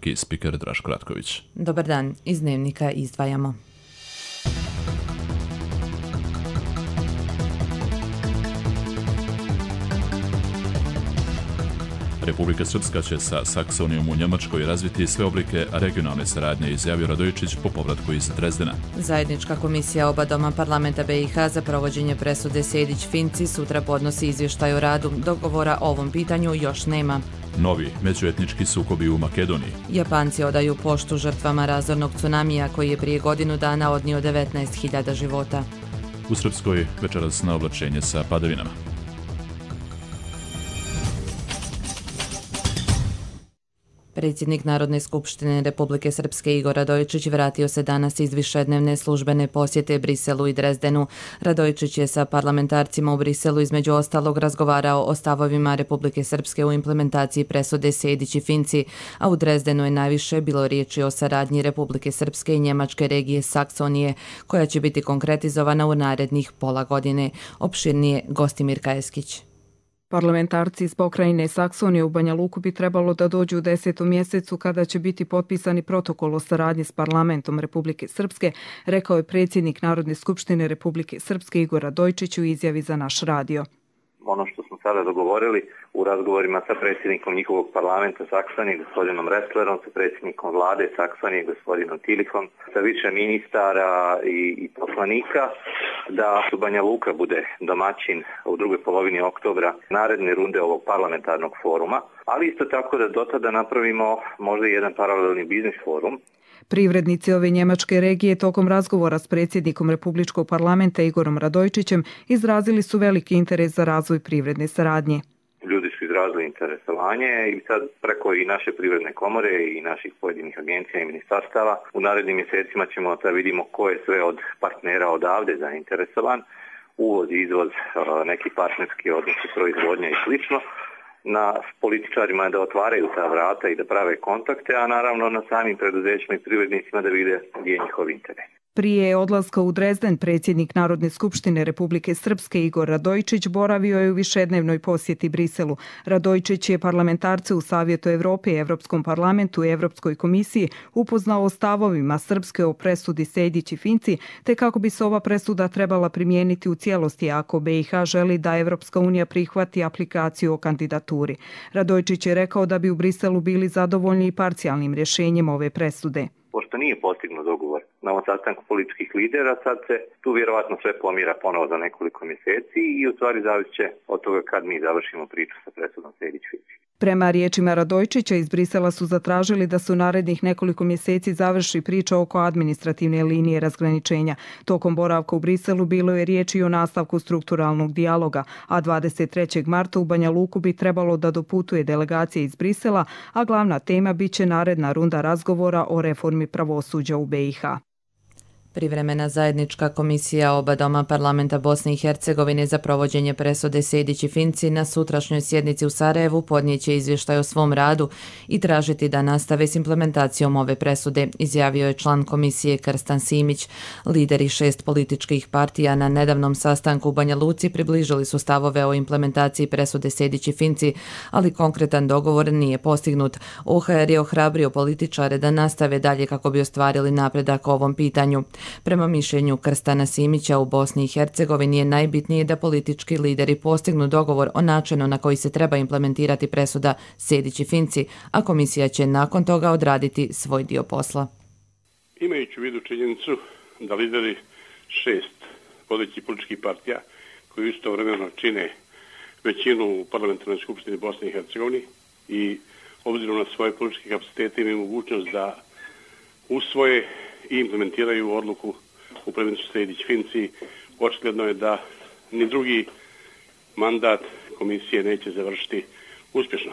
key speaker Draško Ratković. Dobar dan, iz Dnevnika izdvajamo. Republika Srpska će sa Saksonijom u Njemačkoj razviti sve oblike regionalne saradnje, izjavio Radojičić po povratku iz Drezdena. Zajednička komisija oba doma parlamenta BiH za provođenje presude Sejdić-Finci sutra podnosi izvještaj o radu. Dogovora o ovom pitanju još nema. Novi međuetnički sukobi u Makedoniji. Japanci odaju poštu žrtvama razornog tsunamija koji je prije godinu dana odnio 19.000 života. U Srpskoj večeras na oblačenje sa padavinama. Predsjednik Narodne skupštine Republike Srpske Igor Radojičić vratio se danas iz višednevne službene posjete Briselu i Drezdenu. Radojičić je sa parlamentarcima u Briselu između ostalog razgovarao o stavovima Republike Srpske u implementaciji presude Sejdić i Finci, a u Drezdenu je najviše bilo riječi o saradnji Republike Srpske i njemačke regije Saksonije, koja će biti konkretizovana u narednih pola godine. Opširnije Gostimir Kajeskić. Parlamentarci iz pokrajine Saksonije u Banja Luku bi trebalo da dođu u 10. mjesecu kada će biti potpisani protokol o saradnji s parlamentom Republike Srpske, rekao je predsjednik Narodne skupštine Republike Srpske Igor Radojičić u izjavi za naš radio. Ono što smo sada dogovorili u razgovorima sa predsjednikom njihovog parlamenta Saksonije, gospodinom Resslerom, sa predsjednikom vlade Saksonije, gospodinom Tilihom, sa više ministara i poslanika, da Banja Luka bude domaćin u drugoj polovini oktobra naredne runde ovog parlamentarnog foruma, ali isto tako da do tada napravimo možda jedan paralelni biznis forum. Privrednici ove njemačke regije tokom razgovora s predsjednikom Republičkog parlamenta Igorom Radojičićem izrazili su veliki interes za razvoj privredne saradnje. Ljudi su izrazili interesovanje i sad preko i naše privredne komore i naših pojedinih agencija i ministarstava u narednim mjesecima ćemo da vidimo ko je sve od partnera odavde zainteresovan, uvoz, izvoz, neki partnerski odnosi, proizvodnja i slično. Na političarima je da otvaraju ta vrata i da prave kontakte, a naravno na samim preduzećima i privrednicima da vide gdje je njihov interes. Prije odlaska u Drezden, predsjednik Narodne skupštine Republike Srpske Igor Radojičić boravio je u višednevnoj posjeti Briselu. Radojičić je parlamentarce u Savjetu Evrope, Evropskom parlamentu i Evropskoj komisiji upoznao o stavovima Srpske o presudi Sejdić i Finci, te kako bi se ova presuda trebala primijeniti u cijelosti ako BiH želi da Evropska unija prihvati aplikaciju o kandidaturi. Radojičić je rekao da bi u Briselu bili zadovoljni i parcijalnim rješenjem ove presude. Pošto nije postignut dogovor na ovom sastanku političkih lidera, sad se tu vjerovatno sve pomira ponovo za nekoliko mjeseci i u stvari zavisit će od toga kad mi završimo priču sa presudom Sejdić-Finci. Prema riječima Radojičića iz Brisela su zatražili da se u narednih nekoliko mjeseci završi priča oko administrativne linije razgraničenja. Tokom boravka u Briselu bilo je riječi o nastavku strukturalnog dijaloga, a 23. marta u Banja Luku bi trebalo da doputuje delegacija iz Brisela, a glavna tema biće naredna runda razgovora o reformi pravosuđa u BiH. Privremena zajednička komisija oba doma parlamenta Bosne i Hercegovine za provođenje presude Sejdić i Finci na sutrašnjoj sjednici u Sarajevu podnijeće izvještaj o svom radu i tražiti da nastave s implementacijom ove presude, izjavio je član komisije Krstan Simić. Lideri 6 političkih partija na nedavnom sastanku u Banja Luci približili su stavove o implementaciji presude Sejdić i Finci, ali konkretan dogovor nije postignut. OHR je ohrabrio političare da nastave dalje kako bi ostvarili napredak o ovom pitanju. Prema mišljenju Krstana Simića, u Bosni i Hercegovini je najbitnije da politički lideri postignu dogovor o načinu na koji se treba implementirati presuda Sejdić i Finci, a komisija će nakon toga odraditi svoj dio posla. Imajući u vidu činjenicu da lideri 6 vodećih političkih partija koji istovremeno čine većinu u parlamentarnoj skupštini Bosne i Hercegovine i obzirom na svoje političke kapacitete imaju mogućnost da usvoje i implementiraju odluku u predmetu Sejdić-Finci, očigledno je da ni drugi mandat komisije neće završiti uspješno.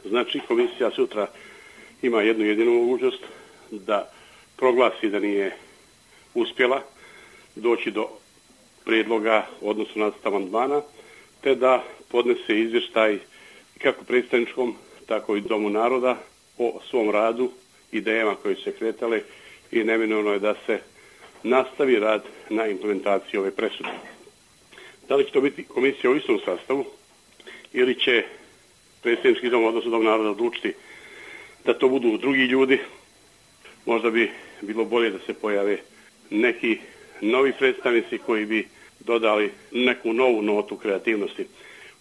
Znači, komisija sutra ima jednu jedinu mogućnost da proglasi da nije uspjela doći do prijedloga odnosno nacrta amandmana, te da podnese izvještaj kako predstavničkom, tako i Domu naroda o svom radu, idejama koje su se kretale i neminovno je da se nastavi rad na implementaciji ove presude. Da li će to biti komisija u istom sastavu ili će predstavnički dom, odnosno Dom naroda odlučiti da to budu drugi ljudi. Možda bi bilo bolje da se pojave neki novi predstavnici koji bi dodali neku novu notu kreativnosti.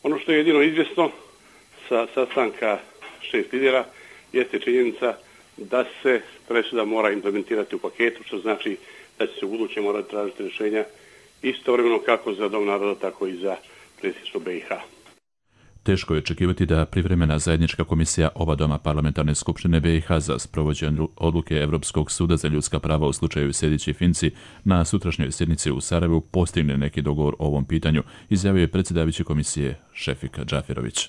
Ono što je jedino izvjesno sa sastanka 6 lidera jeste činjenica da se presuda mora implementirati u paketu, što znači da će se u buduće morati tražiti rješenja istovremeno kako za Dom naroda, tako i za predsjedništvo BiH. Teško je očekivati da privremena zajednička komisija oba doma parlamentarne skupštine BiH za sprovođenje odluke Europskog suda za ljudska prava u slučaju Sejdić i Finci na sutrašnjoj sjednici u Sarajevu postigne neki dogovor o ovom pitanju, izjavio je predsjedavajući komisije Šefik Džaferović.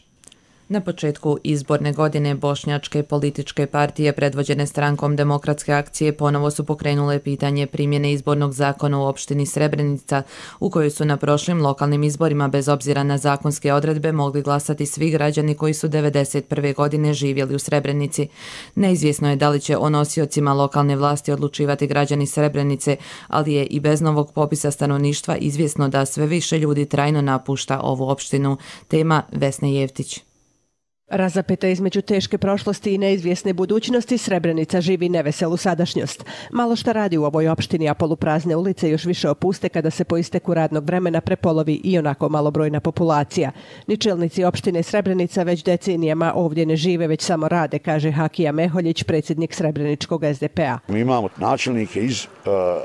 Na početku izborne godine bošnjačke političke partije predvođene strankom Demokratske akcije ponovo su pokrenule pitanje primjene izbornog zakona u opštini Srebrenica, u kojoj su na prošlim lokalnim izborima bez obzira na zakonske odredbe mogli glasati svi građani koji su 1991. godine živjeli u Srebrenici. Neizvjesno je da li će o nosiocima lokalne vlasti odlučivati građani Srebrenice, ali je i bez novog popisa stanovništva izvjesno da sve više ljudi trajno napušta ovu opštinu. Tema Vesne Jevtić. Razapeta između teške prošlosti i neizvjesne budućnosti, Srebrenica živi neveselu sadašnjost. Malo šta radi u ovoj opštini, a poluprazne ulice još više opuste kada se po isteku radnog vremena prepolovi i onako malobrojna populacija. Ni čelnici opštine Srebrenica već decenijama ovdje ne žive, već samo rade, kaže Hakija Meholjić, predsjednik Srebreničkog SDP-a. Mi imamo načelnike iz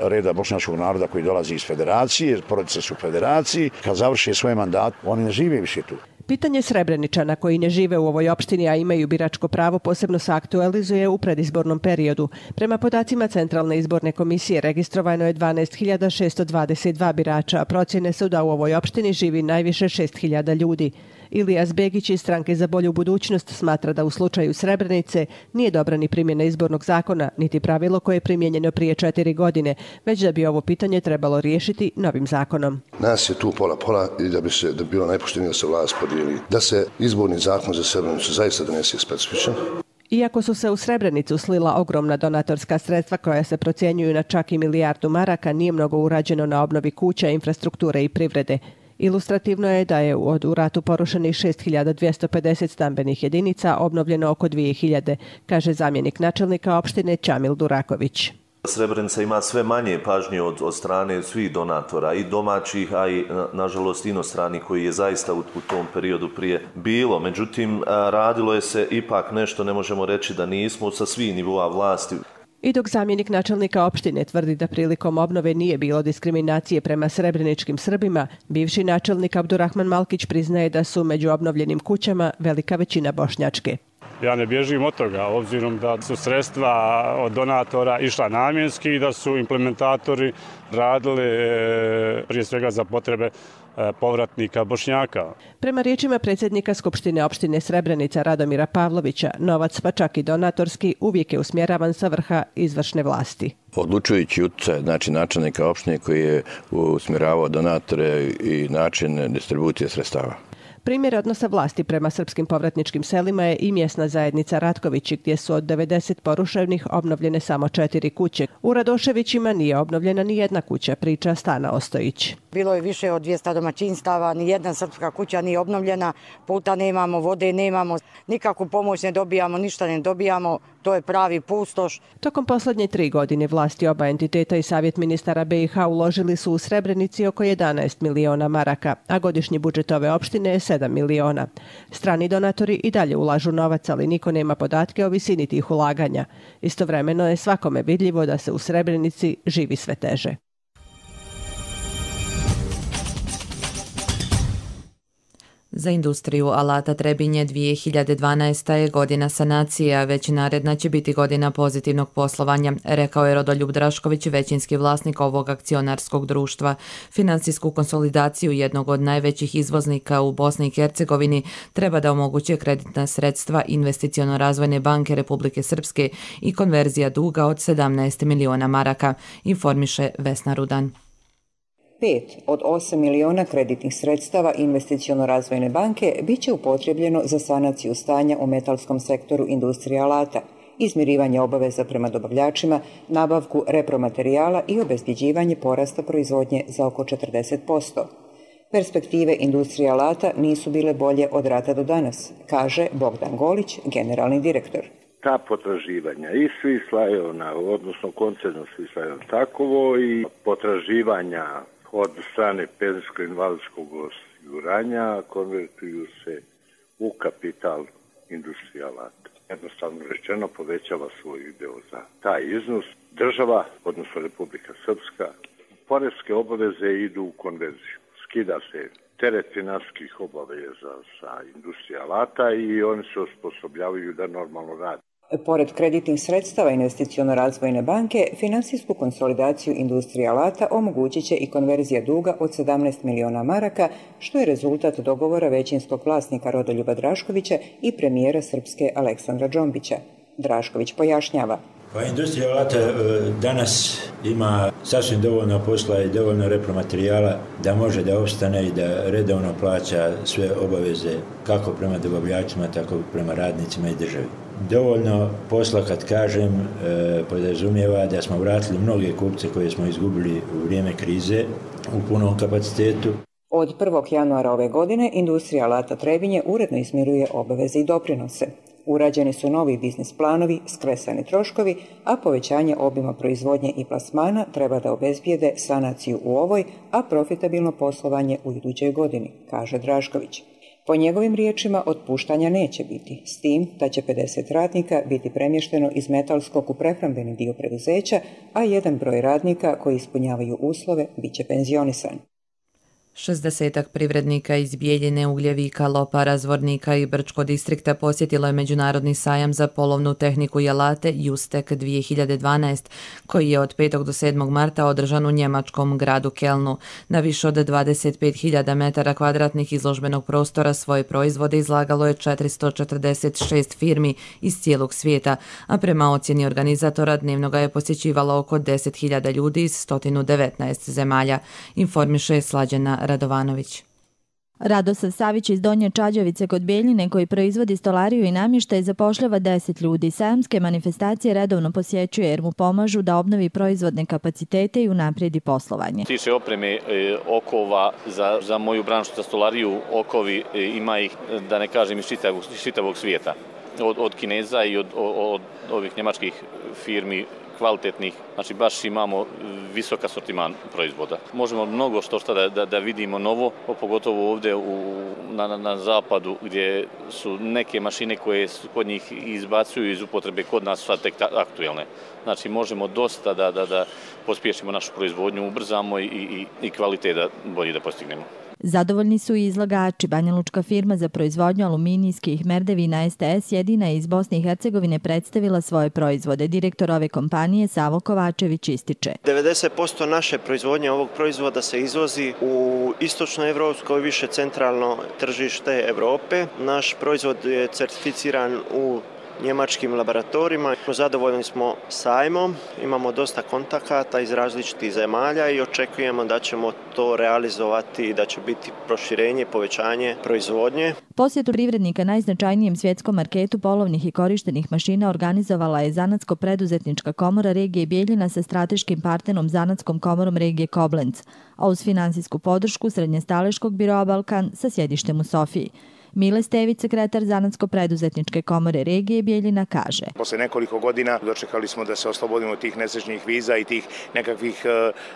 reda bošnjačkog naroda koji dolazi iz federacije, porodice su u federaciji, kad završe svoje mandate, oni ne žive više tu. Pitanje Srebreničana koji ne žive u ovoj opštini, a imaju biračko pravo, posebno se aktualizuje u predizbornom periodu. Prema podacima Centralne izborne komisije registrovano je 12.622 birača, a procjene su da u ovoj opštini živi najviše 6.000 ljudi. Ilijas Begić iz Stranke za bolju budućnost smatra da u slučaju Srebrenice nije dobra ni primjena izbornog zakona, niti pravilo koje je primijenjeno prije 4 godine, već da bi ovo pitanje trebalo riješiti novim zakonom. Nas je tu pola i da bi bilo najpoštenije da se vlast podijeli, da se izborni zakon za Srebrenicu zaista donese specifičan. Iako su se u Srebrenicu slila ogromna donatorska sredstva koja se procjenjuju na čak i milijardu maraka, nije mnogo urađeno na obnovi kuća, infrastrukture i privrede. Ilustrativno je da je od u ratu porušenih 6.250 stambenih jedinica obnovljeno oko 2.000, kaže zamjenik načelnika opštine Čamil Duraković. Srebrenica ima sve manje pažnje od strane svih donatora, i domaćih, a i nažalost inostrani, koji je zaista u tom periodu prije bilo. Međutim, radilo je se ipak nešto, ne možemo reći da nismo, sa svih nivoa vlasti. I dok zamjenik načelnika opštine tvrdi da prilikom obnove nije bilo diskriminacije prema srebreničkim Srbima, bivši načelnik Abdurrahman Malkić priznaje da su među obnovljenim kućama velika većina bošnjačke. Ja ne bježim od toga, obzirom da su sredstva od donatora išla namjenski i da su implementatori radili prije svega za potrebe povratnika Bošnjaka. Prema riječima predsjednika Skupštine opštine Srebrenica Radomira Pavlovića, novac, pa čak i donatorski, uvijek je usmjeravan sa vrha izvršne vlasti. Odlučujući utjecaj, znači načelnika opštine koji je usmjeravao donatore i način distribucije sredstava. Primjer odnosa vlasti prema srpskim povratničkim selima je i mjesna zajednica Ratkovići, gdje su od 90 poruševnih obnovljene samo 4 kuće. U Radoševićima nije obnovljena ni jedna kuća, priča Stana Ostojić. Bilo je više od 200 domaćinstava, ni jedna srpska kuća nije obnovljena, puta nemamo, vode nemamo, nikakvu pomoć ne dobijamo, ništa ne dobijamo, to je pravi pustoš. Tokom posljednje 3 godine vlasti oba entiteta i Savjet ministara BiH uložili su u Srebrenici oko 11 miliona maraka, a godišnji budžet ove opštine je 7 miliona. Strani donatori i dalje ulažu novac, ali niko nema podatke o visini tih ulaganja. Istovremeno je svakome vidljivo da se u Srebrenici živi sve teže. Za industriju alata Trebinje 2012. je godina sanacije, a već naredna će biti godina pozitivnog poslovanja, rekao je Rodoljub Drašković, većinski vlasnik ovog akcionarskog društva. Finansijsku konsolidaciju jednog od najvećih izvoznika u Bosni i Hercegovini treba da omoguće kreditna sredstva Investiciono-razvojne banke Republike Srpske i konverzija duga od 17 miliona maraka, informiše Vesna Rudan. 5 od 8 miliona kreditnih sredstava Investiciono-razvojne banke bit će upotrijebljeno za sanaciju stanja u metalskom sektoru industrije alata, izmirivanje obaveza prema dobavljačima, nabavku repromaterijala i obezbjeđivanje porasta proizvodnje za oko 40%. Perspektive industrije alata nisu bile bolje od rata do danas, kaže Bogdan Golić, generalni direktor. ta potraživanja i Swisslajona, odnosno koncerna Swisslajon takovo i potraživanja od strane penzijsko-invalidskog osiguranja konvertuju se u kapital Industrijalato. Jednostavno rečeno povećava svoj udeo za taj iznos. Država, odnosno Republika Srpska, poreske obaveze idu u konverziju. Skida se teret finansijskih obaveza sa Industrijalata i oni se osposobljavaju da normalno rade. Pored kreditnih sredstava Investiciono-razvojne banke, finansijsku konsolidaciju Industrijalata omogućit će i konverzija duga od 17 miliona maraka, što je rezultat dogovora većinskog vlasnika Rodoljuba Draškovića i premijera Srpske Aleksandra Džombića. Drašković pojašnjava. Pa Industrijalata danas ima sasvim dovoljno posla i dovoljno repromaterijala da može da opstane i da redovno plaća sve obaveze kako prema dobavljačima, tako i prema radnicima i državi. Dovoljno posla, kad kažem, podrazumijeva da smo vratili mnoge kupce koje smo izgubili u vrijeme krize u punom kapacitetu. Od 1. januara ove godine Industrijalata Trebinje uredno izmiruje obaveze i doprinose. Urađeni su novi biznis planovi, skresani troškovi, a povećanje obima proizvodnje i plasmana treba da obezbijede sanaciju u ovoj, a profitabilno poslovanje u idućoj godini, kaže Drašković. Po njegovim riječima otpuštanja neće biti, s tim da će 50 radnika biti premješteno iz metalskog u prehrambeni dio preduzeća, a jedan broj radnika koji ispunjavaju uslove bit će penzionisan. 60 privrednika iz Bijeljine, Ugljevika, Lopara, Zvornika i Brčko distrikta posjetilo je Međunarodni sajam za polovnu tehniku i alate Justek 2012, koji je od 5. do 7. marta održan u njemačkom gradu Kelnu. Na više od 25.000 metara kvadratnih izložbenog prostora svoje proizvode izlagalo je 446 firmi iz cijelog svijeta, a prema ocjeni organizatora dnevno ga je posjećivalo oko 10.000 ljudi iz 119 zemalja, informiše Slađana Radovanović. Radosav Savić iz Donje Čađavice kod Bijeljine, koji proizvodi stolariju i namještaj, zapošljava 10 ljudi. Sajamske manifestacije redovno posjećuje jer mu pomažu da obnovi proizvodne kapacitete i unaprijedi poslovanje. Tiče opreme okova za moju branšu, za stolariju, okovi ima ih, da ne kažem, iz čitavog svijeta. Od Kineza i od ovih njemačkih firmi kvalitetnih, znači baš imamo visok asortiman proizvoda. Možemo mnogo što da vidimo novo, pogotovo ovdje na zapadu gdje su neke mašine koje kod njih izbacuju iz upotrebe, kod nas su sad tek aktuelne. Znači možemo dosta da pospješimo našu proizvodnju, ubrzamo i kvalitet bolje da postignemo. Zadovoljni su i izlagači. Banjalučka firma za proizvodnju aluminijskih merdevina STS jedina je iz Bosne i Hercegovine predstavila svoje proizvode. Direktor ove kompanije Savo Kovačević ističe. 90% naše proizvodnje ovog proizvoda se izvozi u istočnoevropsko i više centralno tržište Evrope. Naš proizvod je certificiran u njemačkim laboratorijima. Zadovoljni smo sajmom, imamo dosta kontakata iz različitih zemalja i očekujemo da ćemo to realizovati i da će biti proširenje i povećanje proizvodnje. Posjetu privrednika najznačajnijem svjetskom marketu polovnih i korištenih mašina organizovala je Zanatsko-preduzetnička komora regije Bijeljina sa strateškim partnerom Zanatskom komorom regije Koblenc, a uz finansijsku podršku Srednjestaleškog biroa Balkan sa sjedištem u Sofiji. Mile Stević, sekretar Zanatsko-preduzetničke komore regije Bijeljina, kaže. Posle nekoliko godina dočekali smo da se oslobodimo tih nesrećnih viza i tih nekakvih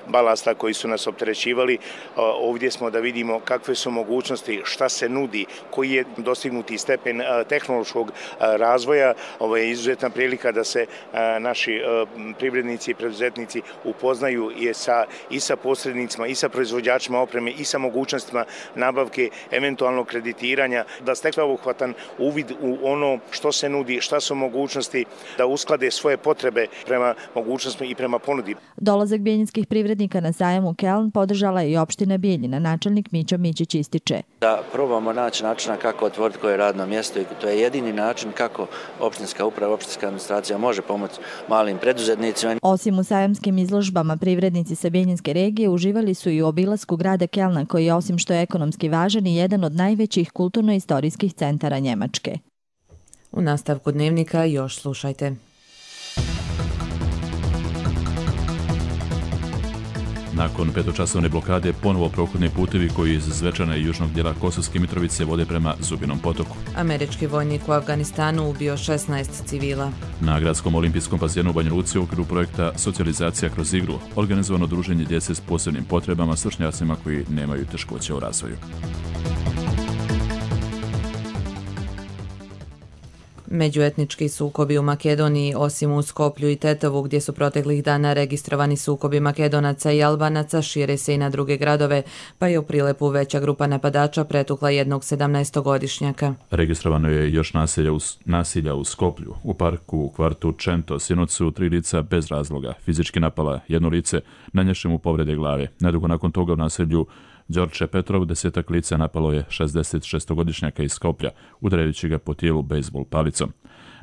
balasta koji su nas opterećivali. Ovdje smo da vidimo kakve su mogućnosti, šta se nudi, koji je dostignuti stepen tehnološkog razvoja. Ovo je izuzetna prilika da se naši privrednici i preduzetnici upoznaju i sa posrednicima, i sa proizvođačima opreme, i sa mogućnostima nabavke, eventualnog kreditiranja, da stekne obuhvatan uvid u ono što se nudi, šta su mogućnosti, da usklade svoje potrebe prema mogućnostima i prema ponudi. Dolazak bijeljinskih privrednika na sajam u Keln podržala je i opština Bijeljina. Načelnik Mićo Mićić ističe. Da probamo naći načina kako otvoriti koje radno mjesto i to je jedini način kako opštinska uprava, opštinska administracija može pomoći malim preduzetnicima. Osim u sajamskim izložbama, privrednici sa Bijeljinske regije uživali su i u obilasku grada Kelna, koji je osim što je ekonomski važan i jedan od najvećih kulturno-istorijskih centara Njemačke. U nastavku dnevnika još slušajte. Nakon petočasovne blokade ponovo prohodni putevi koji iz Zvečana i južnog dijela Kosovske Mitrovice vode prema Zubinom potoku. Američki vojnik u Afganistanu ubio 16 civila. Na gradskom olimpijskom bazenu u Banja Luci u okviru projekta Socijalizacija kroz igru organizovano druženje djece s posebnim potrebama s vršnjacima koji nemaju teškoće u razvoju. Međuetnički sukobi u Makedoniji, osim u Skoplju i Tetovu, gdje su proteklih dana registrovani sukobi Makedonaca i Albanaca, šire se i na druge gradove, pa je u Prilepu veća grupa napadača pretukla jednog 17-godišnjaka. Registrovano je još nasilja u Skoplju. U parku u kvartu Čento sinoć su 3 lica bez razloga fizički napala jedno lice, nanjevši mu povrede glave. Nedugo nakon toga u naselju Đorđe Petrov 10 lica napalo je 66-godišnjaka iz Skoplja, udarajući ga po tijelu bejsbol palicom.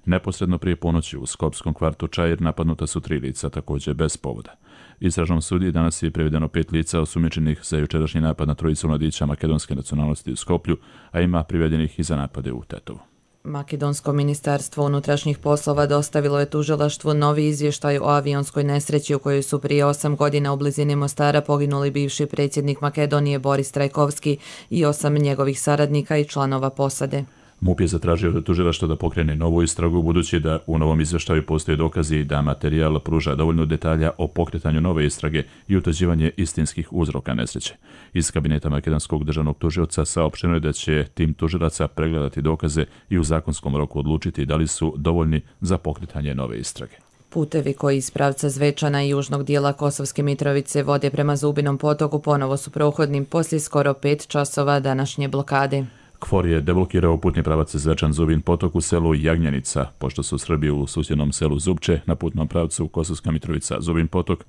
Neposredno prije ponoći u skopskom kvartu Čair napadnuta su 3 lica, također bez povoda. Istražnom sudiji danas je privedeno 5 lica osumnjičenih za jučerašnji napad na 3 mladića makedonske nacionalnosti u Skoplju, a ima privedenih i za napade u Tetovu. Makedonsko ministarstvo unutrašnjih poslova dostavilo je tužilaštvu novi izvještaj o avionskoj nesreći u kojoj su prije 8 godina u blizini Mostara poginuli bivši predsjednik Makedonije Boris Trajkovski i 8 njegovih saradnika i članova posade. MUP je zatražio od tužilaštva da pokrene novu istragu, budući da u novom izvještaju postoje dokazi da materijal pruža dovoljno detalja o pokretanju nove istrage i utvrđivanje istinskih uzroka nesreće. Iz kabineta makedonskog državnog tužioca saopšteno je da će tim tužilaca pregledati dokaze i u zakonskom roku odlučiti da li su dovoljni za pokretanje nove istrage. Putevi koji iz pravca Zvečana i južnog dijela Kosovske Mitrovice vode prema Zubinom potoku ponovo su prohodni poslije skoro 5 časova današnje blokade. KFOR je deblokirao putni pravac Zvečan-Zubin potok u selu Jagnjenica, pošto su Srbi u susjednom selu Zupče na putnom pravcu Kosovska Mitrovica-Zubin potok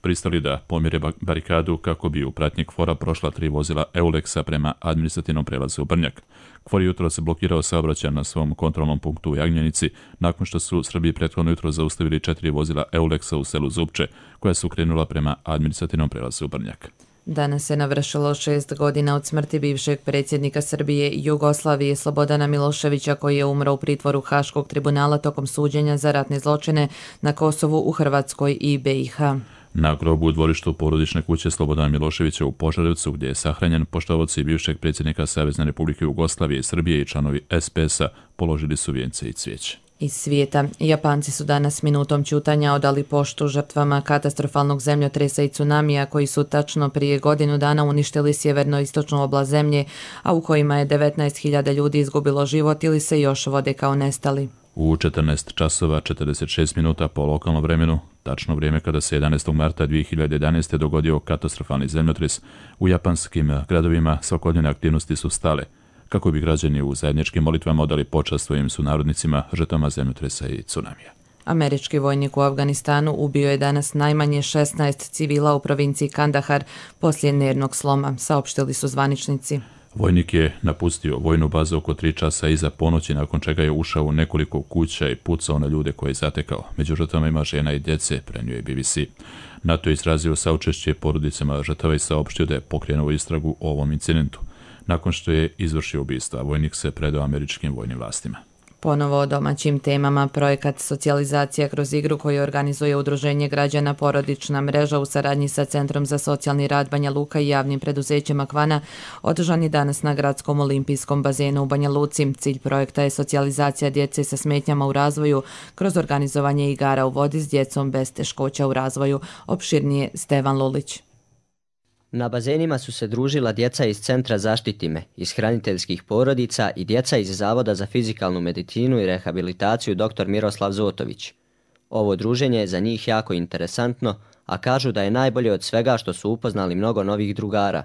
pristali da pomire barikadu kako bi u pratnji KFOR-a prošla 3 vozila Eulexa prema administrativnom prelazu u Brnjak. KFOR jutro se blokirao saobraćaj na svom kontrolnom punktu u Jagnjenici nakon što su Srbi prethodno jutro zaustavili 4 vozila Eulexa u selu Zupče koja su krenula prema administrativnom prelazu u Brnjak. Danas se navršilo 6 godina od smrti bivšeg predsjednika Srbije i Jugoslavije Slobodana Miloševića, koji je umro u pritvoru Haškog tribunala tokom suđenja za ratne zločine na Kosovu, u Hrvatskoj i BiH. Na grobu u dvorištu porodične kuće Slobodana Miloševića u Požarevcu, gdje je sahranjen, poštovaoci bivšeg predsjednika Savezne Republike Jugoslavije i Srbije i članovi SPS-a položili su vijence i cvijeće. Iz svijeta. Japanci su danas minutom ćutanja odali poštu žrtvama katastrofalnog zemljotresa i tsunamija koji su tačno prije godinu dana uništili sjeverno-istočnu oblast zemlje, a u kojima je 19.000 ljudi izgubilo život ili se još vode kao nestali. U 14 časova 46 minuta po lokalnom vremenu, tačno vrijeme kada se 11. marta 2011. dogodio katastrofalni zemljotres, u japanskim gradovima svakodnevne aktivnosti su stale, kako bi građani u zajedničkim molitvama odali počast svojim sunarodnicima, žrtvama zemljotresa i tsunamija. Američki vojnik u Afganistanu ubio je danas najmanje 16 civila u provinciji Kandahar poslije nervnog sloma, saopštili su zvaničnici. Vojnik je napustio vojnu bazu oko 3 časa iza ponoći, nakon čega je ušao u nekoliko kuća i pucao na ljude koje je zatekao. Među žrtvama ima žena i djece, prenio je BBC. NATO je izrazio saučešće porodicama žrtava i saopštio da je pokrenuo istragu o ovom incidentu. Nakon što je izvršio ubistva, vojnik se predao američkim vojnim vlastima. Ponovo o domaćim temama. Projekat Socijalizacija kroz igru koji organizuje Udruženje građana Porodična mreža u saradnji sa Centrom za socijalni rad Banja Luka i javnim preduzećem Akvana održan je danas na gradskom olimpijskom bazenu u Banja Luci. Cilj projekta je socijalizacija djece sa smetnjama u razvoju kroz organizovanje igara u vodi s djecom bez teškoća u razvoju. Opširnije Stevan Lulić. Na bazenima su se družila djeca iz Centra Zaštiti me, iz hraniteljskih porodica i djeca iz Zavoda za fizikalnu medicinu i rehabilitaciju dr. Miroslav Zotović. Ovo druženje je za njih jako interesantno, a kažu da je najbolje od svega što su upoznali mnogo novih drugara.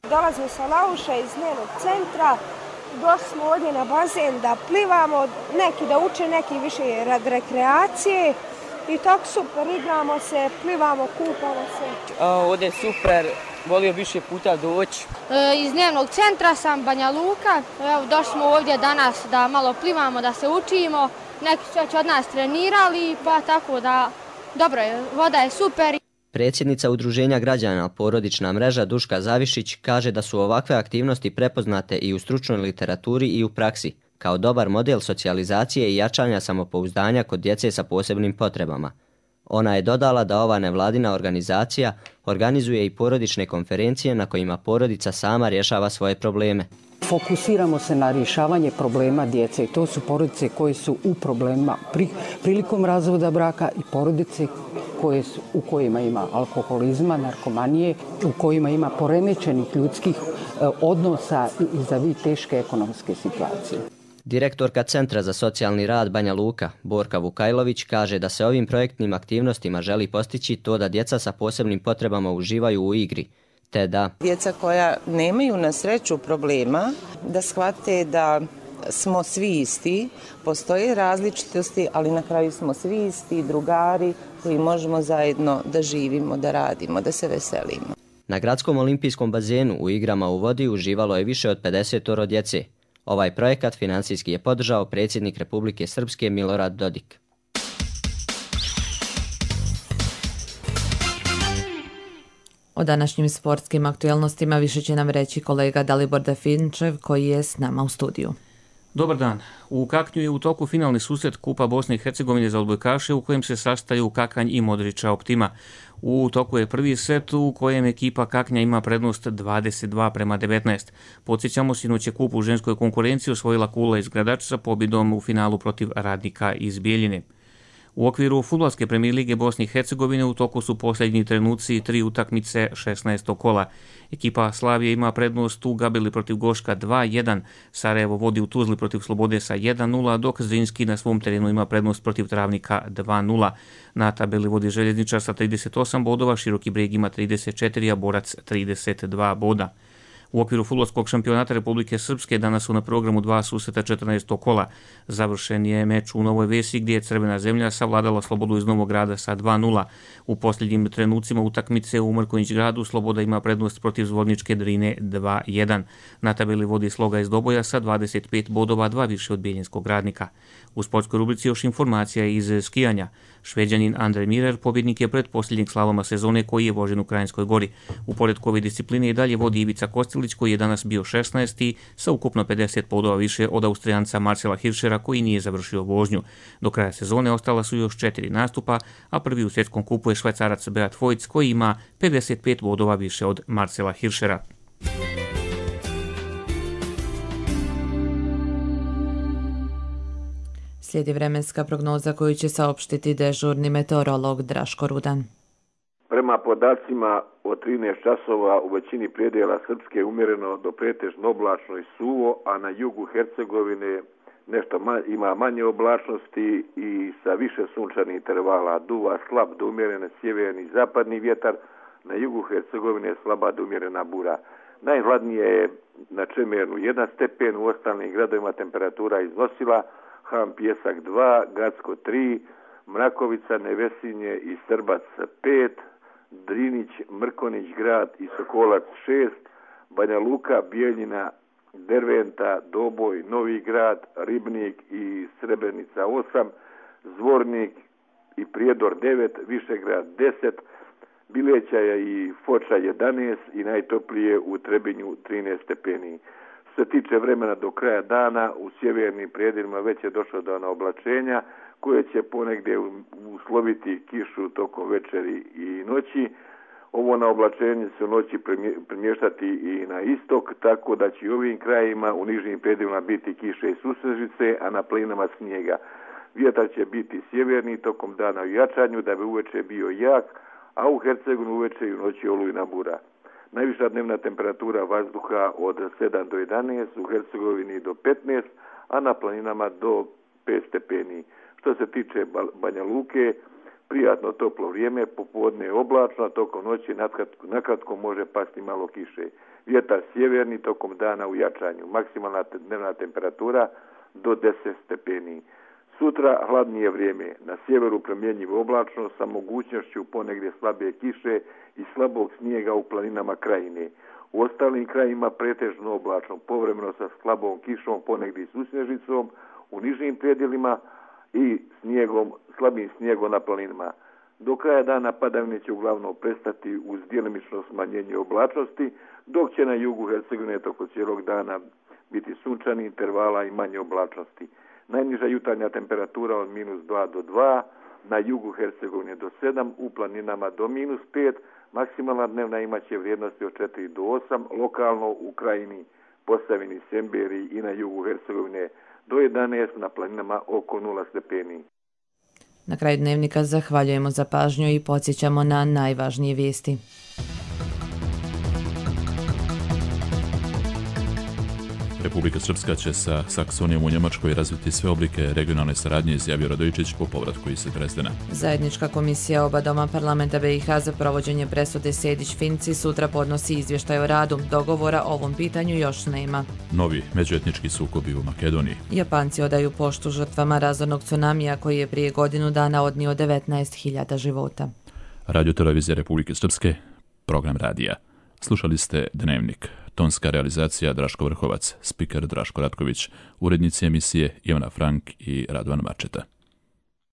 Dolazim sa Lauša iz njenog centra, došli smo ovdje na bazen da plivamo, neki da uče, neki više rad rekreacije. I tako super, igramo se, plivamo, kupamo se. Ovdje je super, volio više puta doći. Iz dnevnog centra sam Banja Luka, došli smo ovdje danas da malo plivamo, da se učimo. Neki su već od nas trenirali, pa tako da dobro je, voda je super. Predsjednica Udruženja građana Porodična mreža Duška Zavišić kaže da su ovakve aktivnosti prepoznate i u stručnoj literaturi i u praksi, kao dobar model socijalizacije i jačanja samopouzdanja kod djece sa posebnim potrebama. Ona je dodala da ova nevladina organizacija organizuje i porodične konferencije na kojima porodica sama rješava svoje probleme. Fokusiramo se na rješavanje problema djece i to su porodice koje su u problemima prilikom razvoda braka i porodice u kojima ima alkoholizma, narkomanije, u kojima ima poremećenih ljudskih odnosa i vis-a-vis teške ekonomske situacije. Direktorka Centra za socijalni rad Banja Luka, Borka Vukajlović, kaže da se ovim projektnim aktivnostima želi postići to da djeca sa posebnim potrebama uživaju u igri, te da djeca koja nemaju na sreću problema, da shvate da smo svi isti, postoje različitosti, ali na kraju smo svi isti, drugari koji možemo zajedno da živimo, da radimo, da se veselimo. Na Gradskom olimpijskom bazenu u igrama u vodi uživalo je više od 50 djece. Ovaj projekat financijski je podržao predsjednik Republike Srpske Milorad Dodik. O današnjim sportskim aktualnostima više će nam reći kolega Dalibor Dafinčev koji je s nama u studiju. Dobar dan. U Kaknju je u toku finalni susret Kupa Bosne i Hercegovine za odbojkaše u kojem se sastaju Kakanj i Modrića Optima. U toku je prvi set u kojem ekipa Kaknja ima prednost 22:19. Podsjećamo, sinoć je kup u ženskoj konkurenciji osvojila Kula iz Gradača sa pobjedom u finalu protiv Radnika iz Bijeljine. U okviru fudbalske premijer lige Bosne i Hercegovine u toku su posljednji trenuci 3 utakmice 16. kola. Ekipa Slavije ima prednost u Gabeli protiv Goška 2:1, Sarajevo vodi u Tuzli protiv Slobode sa 1:0, dok Zrinski na svom terenu ima prednost protiv Travnika 2:0. Na tabeli vodi Željezničar sa 38 bodova, Široki Brijeg ima 34, a Borac 32 boda. U okviru fudbalskog šampionata Republike Srpske danas su na programu 2 susreta 14. kola. Završen je meč u Novoj Vesi gdje je Crvena zemlja savladala Slobodu iz Novog Grada sa 2:0. U posljednjim trenucima utakmice u Mrkonjić gradu Sloboda ima prednost protiv Zvorničke Drine 2:1. Na tabeli vodi Sloga iz Doboja sa 25 bodova, 2 više od Bijeljinskog Radnika. U sportskoj rubrici još informacija iz skijanja. Šveđanin Andrej Mirer pobjednik je pretposljednjeg slaloma sezone koji je vožen u Krajinskoj Gori. U poredku ove discipline i dalje vodi Ivica Kostilić koji je danas bio 16. sa ukupno 50 bodova više od Austrijanca Marcela Hirschera koji nije završio vožnju. Do kraja sezone ostala su još 4 nastupa, a prvi u svjetskom kupu je Švajcarac Beat Voigt koji ima 55 bodova više od Marcela Hirschera. Slijedi vremenska prognoza koju će saopštiti dežurni meteorolog Draško Rudan. Prema podacima od 13 časova u većini predjela Srpske umjereno do pretežno oblačno i suvo, a na jugu Hercegovine nešto ima manje oblačnosti i sa više sunčanih intervala. Duva slab do umjerene sjeverni i zapadni vjetar, na jugu Hercegovine slaba do umjerena bura. Najhladnije je na Čemernu 1 stepen, u ostalim gradovima temperatura iznosila Ham Pjesak 2, Gacko 3, Mrakovica, Nevesinje i Srbac 5, Drinić, Mrkonić grad i Sokolac 6, Banja Luka, Bijeljina, Derventa, Doboj, Novi grad, Ribnik i Srebrenica 8, Zvornik i Prijedor 9, Višegrad 10, Bilećaja i Foča 11 i najtoplije u Trebinju 13 stepeni. Što se tiče vremena do kraja dana, u sjevernim predjelima već je došlo do oblačenja koje će ponegdje usloviti kišu tokom večeri i noći. Ovo na oblačenje se u noći premještati i na istok, tako da će u ovim krajima u nižim predjelima biti kiše i susrežice, a na planinama snijega. Vjetar će biti sjeverni tokom dana u jačanju da bi uveče bio jak, a u Hercegovini uveče i u noći olujna bura. Najviša dnevna temperatura vazduha od 7 do 11, u Hercegovini do 15, a na planinama do 5 stepeni. Što se tiče Banja Luke, prijatno toplo vrijeme, popodne je oblačno, a tokom noći nakratko može pasti malo kiše. Vjetar sjeverni tokom dana u jačanju, maksimalna dnevna temperatura do 10 stepeni. Sutra hladnije vrijeme, na sjeveru promjenjivo oblačno sa mogućnošću ponegdje slabije kiše i slabog snijega u planinama krajine. U ostalim krajima pretežno oblačno, povremeno sa slabom kišom, ponegdje s usnježicom, u nižim predjelima i slabim snijegom na planinama. Do kraja dana padavine će uglavnom prestati uz djelimično smanjenje oblačnosti, dok će na jugu Hercegovine toko cijelog dana biti sunčani intervala i manje oblačnosti. Najniža jutarnja temperatura od -2 do 2, na jugu Hercegovine do 7, u planinama do -5, maksimalna dnevna imaće vrijednosti od 4 do 8, lokalno u Krajini, Posavini, Semberiji i na jugu Hercegovine do 11, na planinama oko 0 stepeni. Na kraju dnevnika zahvaljujemo za pažnju i podsjećamo na najvažnije vijesti. Republika Srpska će sa Saksonijom u Njemačkoj razviti sve oblike regionalne saradnje, izjavio Radojičić po povratku iz Dresdena. Zajednička komisija oba doma parlamenta BiH za provođenje presude Sejdić-Finci sutra podnosi izvještaj o radu. Dogovora o ovom pitanju još nema. Novi međuetnički sukobi u Makedoniji. Japanci odaju poštu žrtvama razornog tsunamija koji je prije godinu dana odnio 19.000 života. Radio Televizija Republike Srpske, program radija. Slušali ste Dnevnik. Tonska realizacija Draško Vrhovac, spiker Draško Ratković, urednici emisije Ivana Frank i Radovan Mačeta.